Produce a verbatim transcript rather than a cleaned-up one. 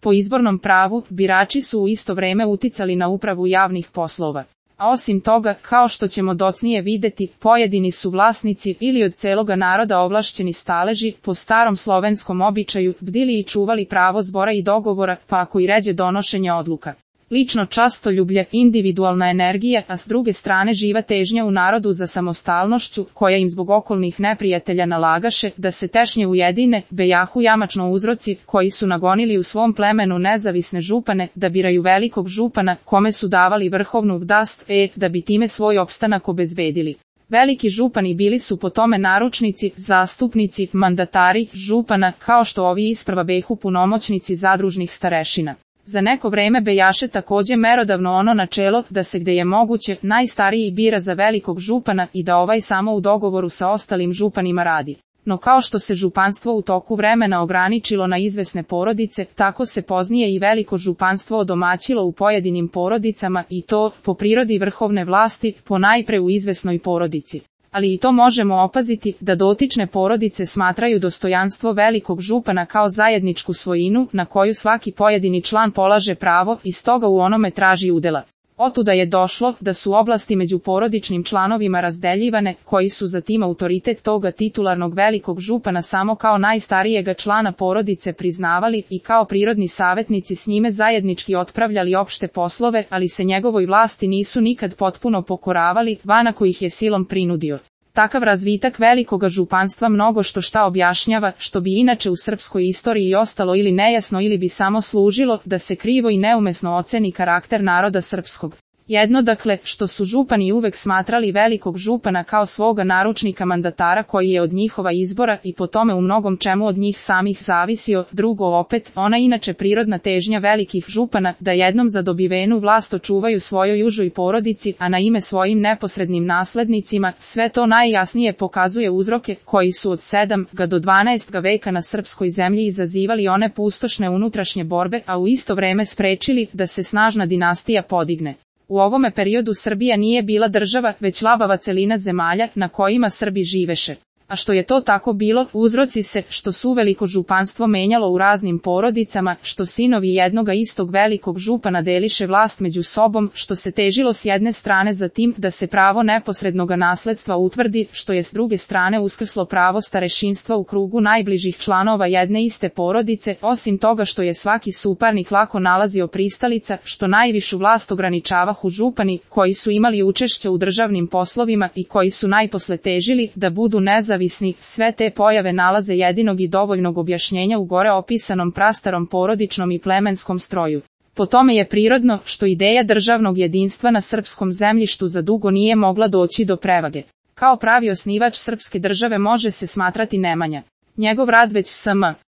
Po izbornom pravu, birači su u isto vreme uticali na upravu javnih poslova. A osim toga, kao što ćemo docnije videti, pojedini su vlasnici ili od celoga naroda ovlašćeni staleži, po starom slovenskom običaju, bdili i čuvali pravo zbora i dogovora, pa ako i ređe donošenja odluka. Lično častoljublje, individualna energija, a s druge strane živa težnja u narodu za samostalnošću, koja im zbog okolnih neprijatelja nalagaše da se tešnje ujedine, bejahu jamačno uzroci, koji su nagonili u svom plemenu nezavisne župane, da biraju velikog župana, kome su davali vrhovnu vlast, e, da bi time svoj opstanak obezbedili. Veliki župani bili su po tome naručnici, zastupnici, mandatari, župana, kao što ovi isprva behu punomoćnici zadružnih starešina. Za neko vreme bejaše takođe merodavno ono načelo da se gde je moguće najstariji bira za velikog župana i da ovaj samo u dogovoru sa ostalim županima radi. No kao što se županstvo u toku vremena ograničilo na izvesne porodice, tako se poznije i veliko županstvo odomaćilo u pojedinim porodicama i to, po prirodi vrhovne vlasti, ponajpre u izvesnoj porodici. Ali i to možemo opaziti, da dotične porodice smatraju dostojanstvo velikog župana kao zajedničku svojinu, na koju svaki pojedini član polaže pravo i stoga u onome traži udela. Otuda je došlo da su oblasti među porodičnim članovima razdeljivane, koji su za tim autoritet toga titularnog velikog župana samo kao najstarijega člana porodice priznavali i kao prirodni savetnici s njime zajednički otpravljali opšte poslove, ali se njegovoj vlasti nisu nikad potpuno pokoravali, van kojih je silom prinudio. Takav razvitak velikoga županstva mnogo što šta objašnjava, što bi inače u srpskoj istoriji ostalo ili nejasno ili bi samo služilo da se krivo i neumesno oceni karakter naroda srpskog. Jedno dakle, što su župani uvek smatrali velikog župana kao svoga naručnika mandatara koji je od njihova izbora i po tome u mnogom čemu od njih samih zavisio, drugo opet, ona inače prirodna težnja velikih župana da jednom za dobivenu vlast očuvaju svojoj užoj porodici, a na ime svojim neposrednim naslednicima, sve to najjasnije pokazuje uzroke koji su od sedmog do dvanaestog veka na srpskoj zemlji izazivali one pustošne unutrašnje borbe, a u isto vreme sprečili da se snažna dinastija podigne. U ovome periodu Srbija nije bila država, već labava celina zemalja na kojima Srbi živeše. A što je to tako bilo, uzroci se, što su veliko županstvo menjalo u raznim porodicama, što sinovi jednoga istog velikog župana deliše vlast među sobom, što se težilo s jedne strane za tim da se pravo neposrednoga nasledstva utvrdi, što je s druge strane uskrslo pravo starešinstva u krugu najbližih članova jedne iste porodice, osim toga što je svaki suparnik lako nalazio pristalica, što najvišu vlast ograničavahu župani, koji su imali učešće u državnim poslovima i koji su najposle težili da budu nezavisni. Sve te pojave nalaze jedinog i dovoljnog objašnjenja u gore opisanom prastarom porodičnom i plemenskom stroju. Po tome je prirodno što ideja državnog jedinstva na srpskom zemljištu za dugo nije mogla doći do prevage. Kao pravi osnivač srpske države može se smatrati Nemanja. Njegov rad već sm.